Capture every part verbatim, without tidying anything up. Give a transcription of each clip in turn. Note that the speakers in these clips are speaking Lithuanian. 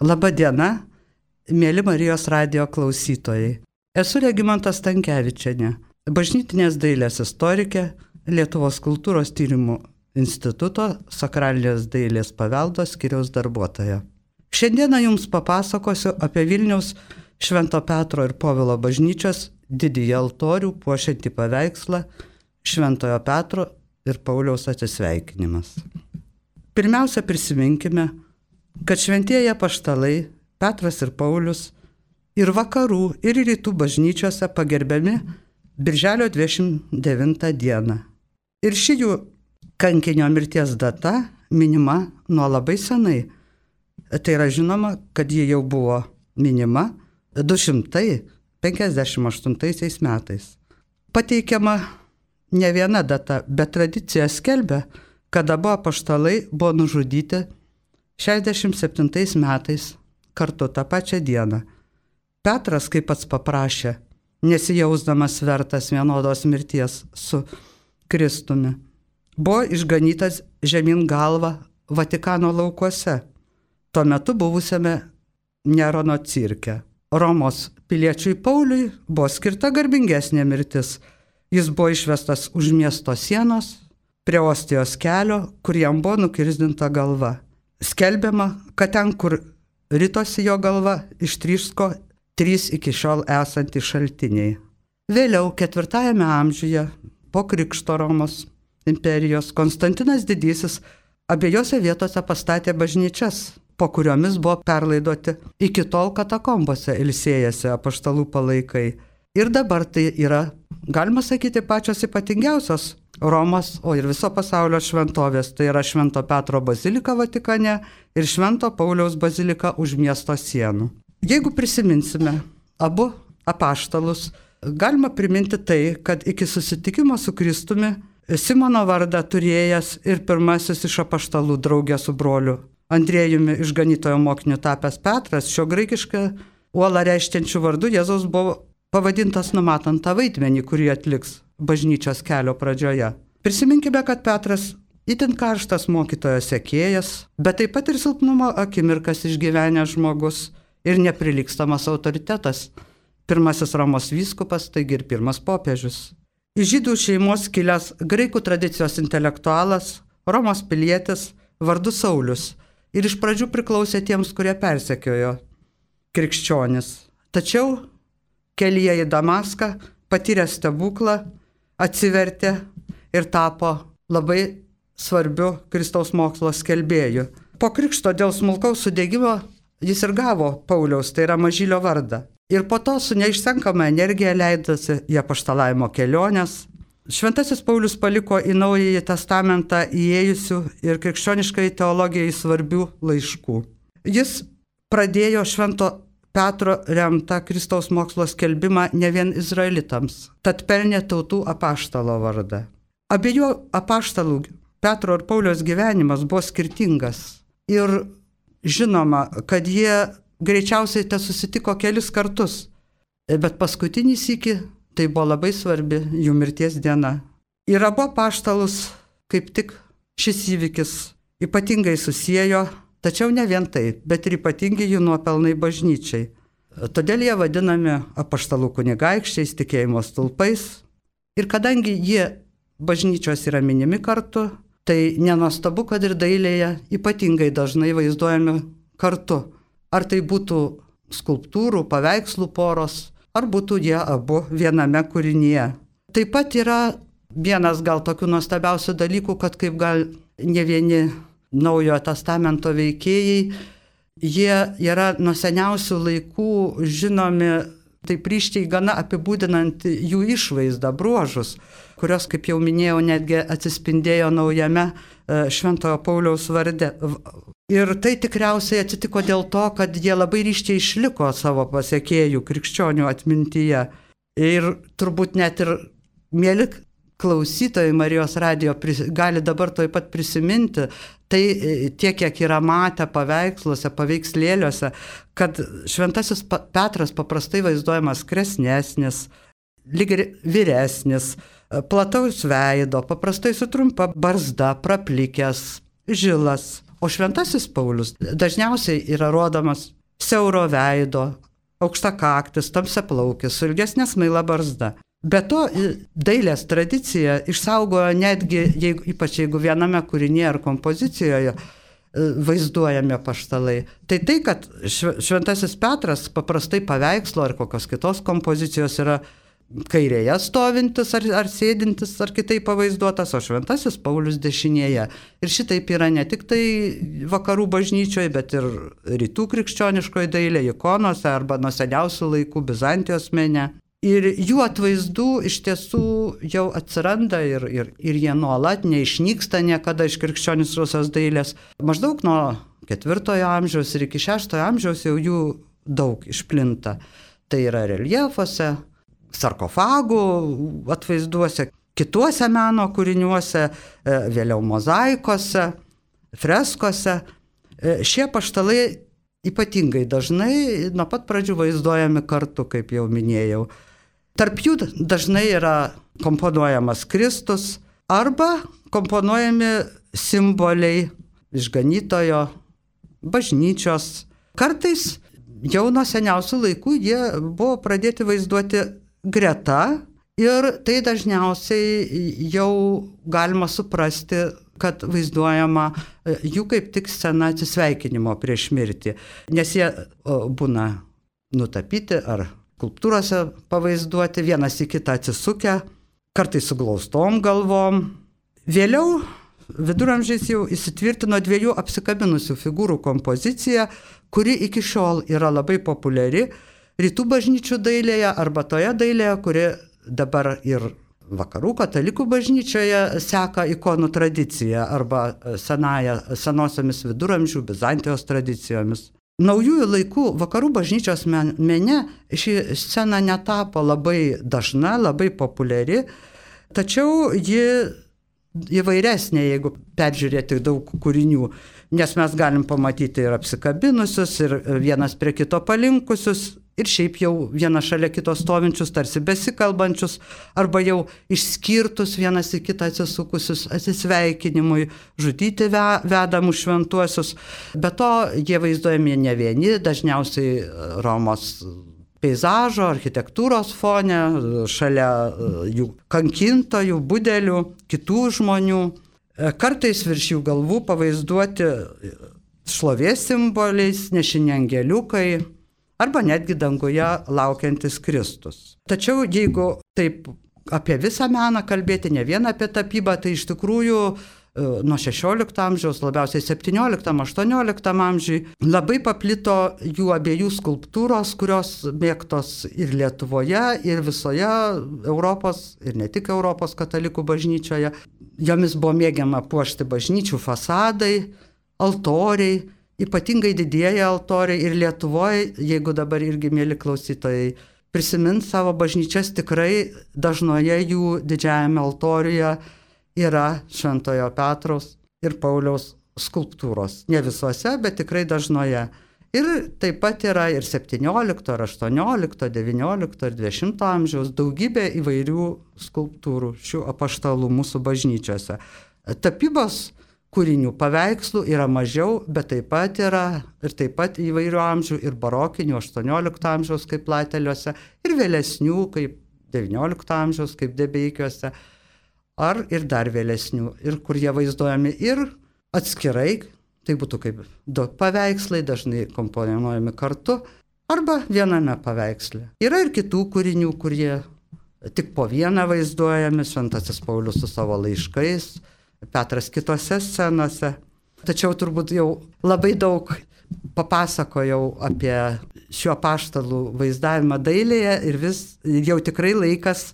Labą dieną, mėly Marijos radijo klausytojai. Esu Regimanta Stankevičienė, bažnytinės dailės istorikė, Lietuvos kultūros tyrimų instituto sakralinės dailės paveldo skyriaus darbuotoja. Šiandieną jums papasakosiu apie Vilniaus Švento Petro ir Povilo bažnyčios didįjį altorių puošiantį paveikslą Šventojo Petro ir Pauliaus atsisveikinimas. Pirmiausia, prisiminkime, kad šventieji apaštalai Petras ir Paulius ir vakarų ir rytų bažnyčiose pagerbiami Birželio dvidešimt devintą dieną. Ir ši jų kankinio mirties data minima nuo labai senai. Tai yra žinoma, kad ji jau buvo minima du šimtai penkiasdešimt aštuntaisiais metais. Pateikiama ne viena data, bet tradicija skelbia, kad abu apaštalai buvo nužudyti šešiasdešimt septintais metais kartu tą pačią dieną. Petras, kaip pats paprašė, nesijausdamas vertas vienodos mirties su Kristumi, buvo išganytas žemyn galva Vatikano laukuose, tuo metu buvusiame Nerono cirke. Romos piliečiui Pauliui buvo skirta garbingesnė mirtis. Jis buvo išvestas už miesto sienos, prie Ostijos kelio, kur jam buvo nukirzdinta galva. Skelbiama, kad ten, kur ritosi jo galva, ištryško trys iki šiol esantys šaltiniai. Vėliau, ketvirtajame amžiuje, po Krikšto Romos imperijos, Konstantinas Didysis abiejose vietose pastatė bažnyčias, po kuriomis buvo perlaidoti iki tol katakombose ilsėjęsi apaštalų palaikai. Ir dabar tai yra, galima sakyti, pačios ypatingiausios Romos, o ir viso pasaulio šventovės. Tai yra Švento Petro bazilika Vatikane ir Švento Pauliaus bazilika už miesto sienų. Jeigu prisiminsime abu apaštalus, galima priminti tai, kad iki susitikimo su Kristumi Simono vardą turėjęs ir pirmasis iš apaštalų draugė su broliu Andriejumi išganytojo mokiniu tapęs Petras, šio graikišką uolą reiškiančių vardu Jėzaus buvo pavadintas numatant tą vaidmenį, kurį atliks bažnyčios kelio pradžioje. Prisiminkime, kad Petras itin karštas mokytojo sekėjas, bet taip pat ir silpnumo akimirkas išgyvenęs žmogus ir neprilygstamas autoritetas. Pirmasis Romos vyskupas, taigi ir pirmas popiežius. Iš žydų šeimos kilęs graikų tradicijos intelektualas, Romos pilietis vardu Saulius ir iš pradžių priklausė tiems, kurie persekiojo krikščionis. Tačiau kelyje į Damaską patyrė stebuklą, atsivertė ir tapo labai svarbiu Kristaus mokslo skelbėju. Po krikšto dėl smulkaus sudegimo jis ir gavo Pauliaus, tai yra Mažylio vardą. Ir po to su neišsenkama energija leidosi į apaštalavimo keliones. Šventasis Paulius paliko į Naująjį testamentą įėjusių ir krikščioniškai teologijai svarbių laiškų. Jis pradėjo Švento Petro remtą Kristaus mokslo skelbimą ne vien izraelitams, tad pelnė tautų apaštalo vardą. Abiejų apaštalų Petro ir Pauliaus gyvenimas buvo skirtingas. Ir žinoma, kad jie greičiausiai te susitiko kelis kartus, bet paskutinį sykį tai buvo labai svarbi jų mirties diena. Ir abu apaštalus kaip tik šis įvykis ypatingai susiejo, tačiau ne vien tai, bet ir ypatingi jų nuopelnai bažnyčiai. Todėl jie vadinami apaštalų kunigaikščiais, tikėjimo stulpais. Ir kadangi jie bažnyčios yra minimi kartu, tai nenuostabu, kad ir dailėje ypatingai dažnai vaizduojami kartu. Ar tai būtų skulptūrų, paveikslų poros, ar būtų jie abu viename kūrinyje. Taip pat yra vienas gal tokių nuostabiausių dalykų, kad kaip gal ne vieni Naujojo testamento veikėjai, jie yra nuo seniausių laikų žinomi taip ryškiai gana apibūdinant jų išvaizdą, bruožus, kurios, kaip jau minėjau, netgi atsispindėjo naujame Šventojo Pauliaus varde. Ir tai tikriausiai atsitiko dėl to, kad jie labai ryškiai išliko savo pasekėjų krikščionių atmintyje. Ir turbūt net ir mėly klausytojai Marijos radijo gali dabar toj pat prisiminti, tai tiek, kiek yra matę paveiksluose, paveikslėliuose, kad Šventasis Petras paprastai vaizduojamas kresnesnis, lyg ir vyresnis, plataus veido, paprastai su trumpa barzda, praplikęs, žilas. O Šventasis Paulius dažniausiai yra rodomas siauro veido, aukštakaktis, tamsiaplaukis, su ilgesnė smaila barzda. Be to, dailės tradicija išsaugojo netgi, jeigu, ypač jeigu viename kūrinyje ar kompozicijoje vaizduojami apaštalai. Tai tai, kad Šventasis Petras paprastai paveikslo ar kokios kitos kompozicijos yra kairėje stovintis ar, ar sėdintis ar kitaip pavaizduotas, o Šventasis Paulius dešinėje. Ir šitaip yra ne tik tai vakarų bažnyčioje, bet ir rytų krikščioniškoje dailė, ikonose arba nuo seniausių laikų Bizantijos mene. Ir jų atvaizdų iš tiesų jau atsiranda ir, ir, ir jie nuolat neišnyksta niekada iš krikščioniškosios dailės. Maždaug nuo ketvirtojo amžiaus ir iki šeštojo amžiaus jau jų daug išplinta. Tai yra reljefuose, sarkofagų atvaizduose, kituose meno kūriniuose, vėliau mozaikose, freskose. Šie apaštalai ypatingai dažnai nuo pat pradžių vaizduojami kartu, kaip jau minėjau. Tarp jų dažnai yra komponuojamas Kristus arba komponuojami simboliai išganytojo, bažnyčios. Kartais jau nuo seniausių laikų jie buvo pradėti vaizduoti greta ir tai dažniausiai jau galima suprasti, kad vaizduojama jų kaip tik scena atsisveikinimo prieš mirtį, nes jie būna nutapyti ar skulptūrose pavaizduoti, vienas į kitą atsisukę, kartais su glaustom galvom. Vėliau viduramžiais jau įsitvirtino dviejų apsikabinusių figūrų kompozicija, kuri iki šiol yra labai populiari rytų bažnyčių dailėje arba toje dailėje, kuri dabar ir vakarų katalikų bažnyčioje seka ikonų tradiciją arba senąją, senosiomis viduramžių Bizantijos tradicijomis. Naujųjų laikų vakarų bažnyčios mene ši scena netapo labai dažna, labai populiari, tačiau ji įvairesnė, jeigu peržiūrėti daug kūrinių, nes mes galim pamatyti ir apsikabinusius, ir vienas prie kito palinkusius, ir šiaip jau vienas šalia kito stovinčius, tarsi besikalbančius, arba jau išskirtus vienas į kitą atsisukusius atsisveikinimui, žudyti vedamus šventuosius. Be to, jie vaizduojami ne vieni, dažniausiai Romos peizažo, architektūros fone, šalia jų kankintojų, budelių, kitų žmonių. Kartais virš jų galvų pavaizduoti šlovės simboliais, nešini angeliukai, arba netgi danguje laukiantis Kristus. Tačiau jeigu taip apie visą meną kalbėti, ne vien apie tapybą, tai iš tikrųjų nuo šešiolikto amžiaus, labiausiai septynioliktam aštuonioliktam amžiui, labai paplito jų abiejų skulptūros, kurios mėgtos ir Lietuvoje, ir visoje Europos, ir ne tik Europos katalikų bažnyčioje. Jomis buvo mėgiama puošti bažnyčių fasadai, altoriai, ypatingai didieji altoriai, ir Lietuvoje, jeigu dabar irgi mėly klausytojai prisimint savo bažnyčias, tikrai dažnoje jų didžiajame altoriuje yra Šventojo Petraus ir Pauliaus skulptūros. Ne visuose, bet tikrai dažnoje. Ir taip pat yra ir septyniolikto, ir aštuoniolikto, devyniolikto ir dvidešimto amžiaus daugybė įvairių skulptūrų šių apaštalų mūsų bažnyčiose. Tapybos kūrinių paveikslų yra mažiau, bet taip pat yra ir taip pat įvairių amžių, ir barokinių aštuoniolikto amžiaus kaip Plateliuose, ir vėlesnių kaip devyniolikto amžiaus kaip Debeikiuose, ar ir dar vėlesnių, ir kur jie vaizduojami ir atskirai, tai būtų kaip du paveikslai, dažnai komponuojami kartu, arba viename paveiksle. Yra ir kitų kūrinių, kurie tik po vieną vaizduojami, Šventasis Paulius su savo laiškais, Petras kitose scenose. Tačiau turbūt jau labai daug papasakojau apie šiuo apaštalų vaizdavimą dailėje ir vis jau tikrai laikas,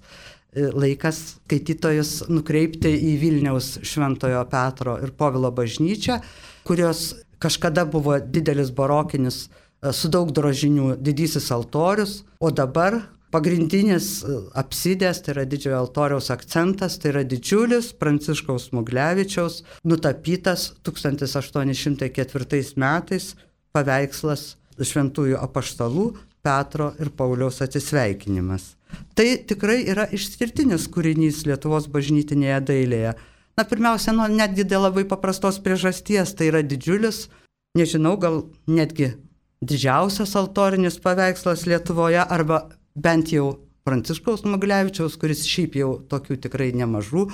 laikas skaitytojus nukreipti į Vilniaus Šventojo Petro ir Povilo bažnyčią, kurios kažkada buvo didelis barokinis su daug drožinių didysis altorius, o dabar pagrindinis apsidės, tai yra didžiojo altoriaus akcentas, tai yra didžiulis Pranciškaus Smuglevičiaus nutapytas tūkstantis aštuoni šimtai ketvirtais metais paveikslas šventųjų apaštalų Petro ir Pauliaus atsisveikinimas. Tai tikrai yra išskirtinis kūrinys Lietuvos bažnytinėje dailėje. Na, pirmiausia, nu, netgi dėl labai paprastos priežasties, tai yra didžiulis, nežinau, gal netgi didžiausias altorinis paveikslas Lietuvoje, arba bent jau Pranciškaus Smuglevičiaus, kuris šiaip jau tokių tikrai nemažų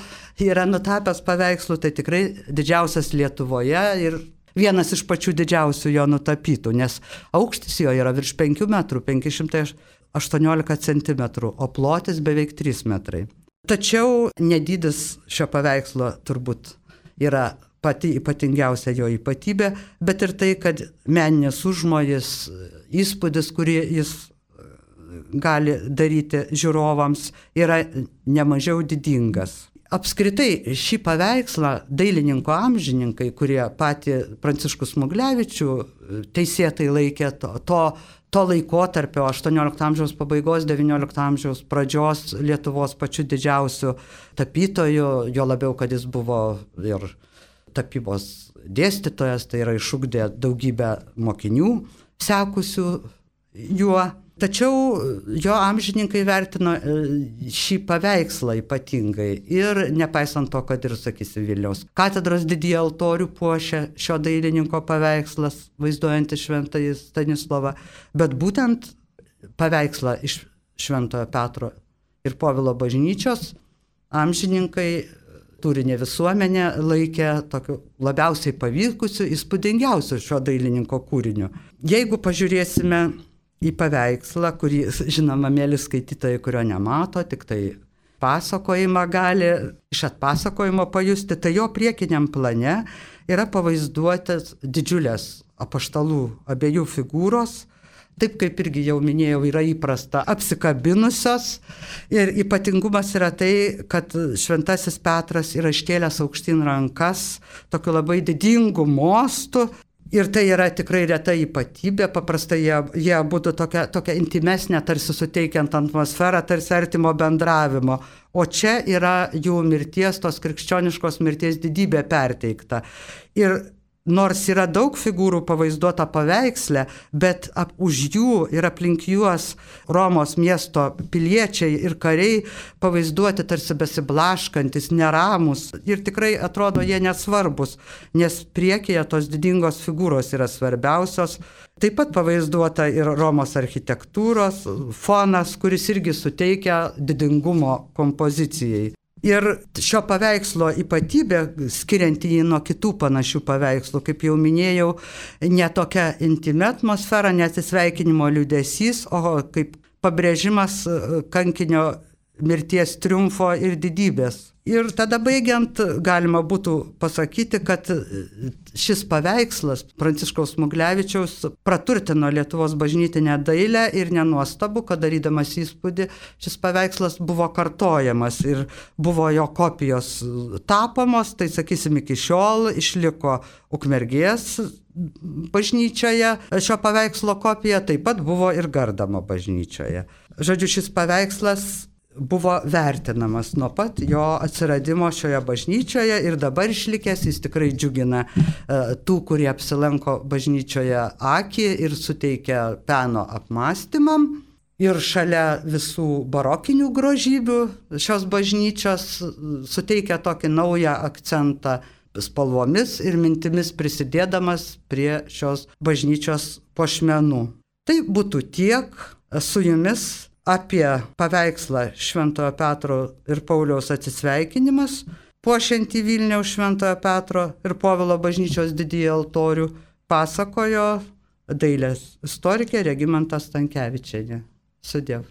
yra nutapęs paveikslų, tai tikrai didžiausias Lietuvoje ir vienas iš pačių didžiausių jo nutapytų, nes aukštis jo yra virš penkių metrų, penki šimtai aštuoniolika centimetrų, o plotis beveik trys metrai. Tačiau nedydis šio paveikslo turbūt yra pati ypatingiausia jo ypatybė, bet ir tai, kad meninis užmojis, įspūdis, kurį jis gali daryti žiūrovams, yra nemažiau didingas. Apskritai šį paveikslą dailininko amžininkai, kurie patį Pranciškų Smuglevičių teisėtai laikė to, to, to laikotarpio aštuoniolikto amžiaus pabaigos, devyniolikto amžiaus pradžios Lietuvos pačiu didžiausiu tapytoju, jo labiau, kad jis buvo ir tapybos dėstytojas, tai yra išugdė daugybę mokinių sekusių juo. Tačiau jo amžininkai vertino šį paveikslą ypatingai ir nepaisant to, kad ir, sakysim, Vilniaus katedros didįjį altorių puošia šio dailininko paveikslas, vaizduojantis Šventąjį Stanislovą, bet būtent paveikslą iš Šventojo Petro ir Povilo bažnyčios amžininkai, turinė visuomenė, laikė tokiu labiausiai pavykusiu, įspūdingiausiu šio dailininko kūriniu. Jeigu pažiūrėsime į paveikslą, kurį, žinoma, mėly skaitytojai, kurio nemato, tik tai pasakojimą gali iš atpasakojimo pajusti, tai jo priekiniam plane yra pavaizduotas didžiulės apaštalų abiejų figūros, taip kaip irgi jau minėjau, yra įprasta apsikabinusios ir ypatingumas yra tai, kad Šventasis Petras yra iškėlęs aukštyn rankas tokiu labai didingu mostu. Ir tai yra tikrai reta ypatybė, paprastai jie, jie būtų tokia, tokia intimesnė, tarsi suteikiant atmosferą, tarsi artimo bendravimo. O čia yra jų mirties, tos krikščioniškos mirties didybė perteikta. Ir nors yra daug figūrų pavaizduota paveiksle, bet ap, už jų ir aplink juos Romos miesto piliečiai ir kariai pavaizduoti tarsi besiblaškantis, neramus ir tikrai atrodo jie nesvarbus, nes priekyje tos didingos figūros yra svarbiausios. Taip pat pavaizduota ir Romos architektūros fonas, kuris irgi suteikia didingumo kompozicijai. Ir šio paveikslo ypatybė, skirianti jį nuo kitų panašių paveikslų, kaip jau minėjau, ne tokia intimi atmosfera, neatsisveikinimo liūdesys, o kaip pabrėžimas kankinio mirties triumfo ir didybės. Ir tada baigiant galima būtų pasakyti, kad šis paveikslas Pranciškaus Smuglevičiaus praturtino Lietuvos bažnytinę dailę ir nenuostabu, kad darydamas įspūdį šis paveikslas buvo kartojamas ir buvo jo kopijos tapomos, tai sakysim iki šiol išliko Ukmergės bažnyčioje šio paveikslo kopija, taip pat buvo ir Gardamo bažnyčioje. Žodžiu, šis paveikslas buvo vertinamas nuo pat jo atsiradimo šioje bažnyčioje ir dabar išlikęs, jis tikrai džiugina uh, tų, kurie apsilanko bažnyčioje akį ir suteikia peno apmąstymam. Ir šalia visų barokinių grožybių šios bažnyčios suteikia tokį naują akcentą spalvomis ir mintimis prisidėdamas prie šios bažnyčios puošmenų. Tai būtų tiek su jumis apie paveikslą Šventojo Petro ir Pauliaus atsisveikinimas, puošiantį Vilniaus Šventojo Petro ir Povilo bažnyčios didįjį altorių, pasakojo dailės istorikė Regimanta Stankevičienė. Sudiev.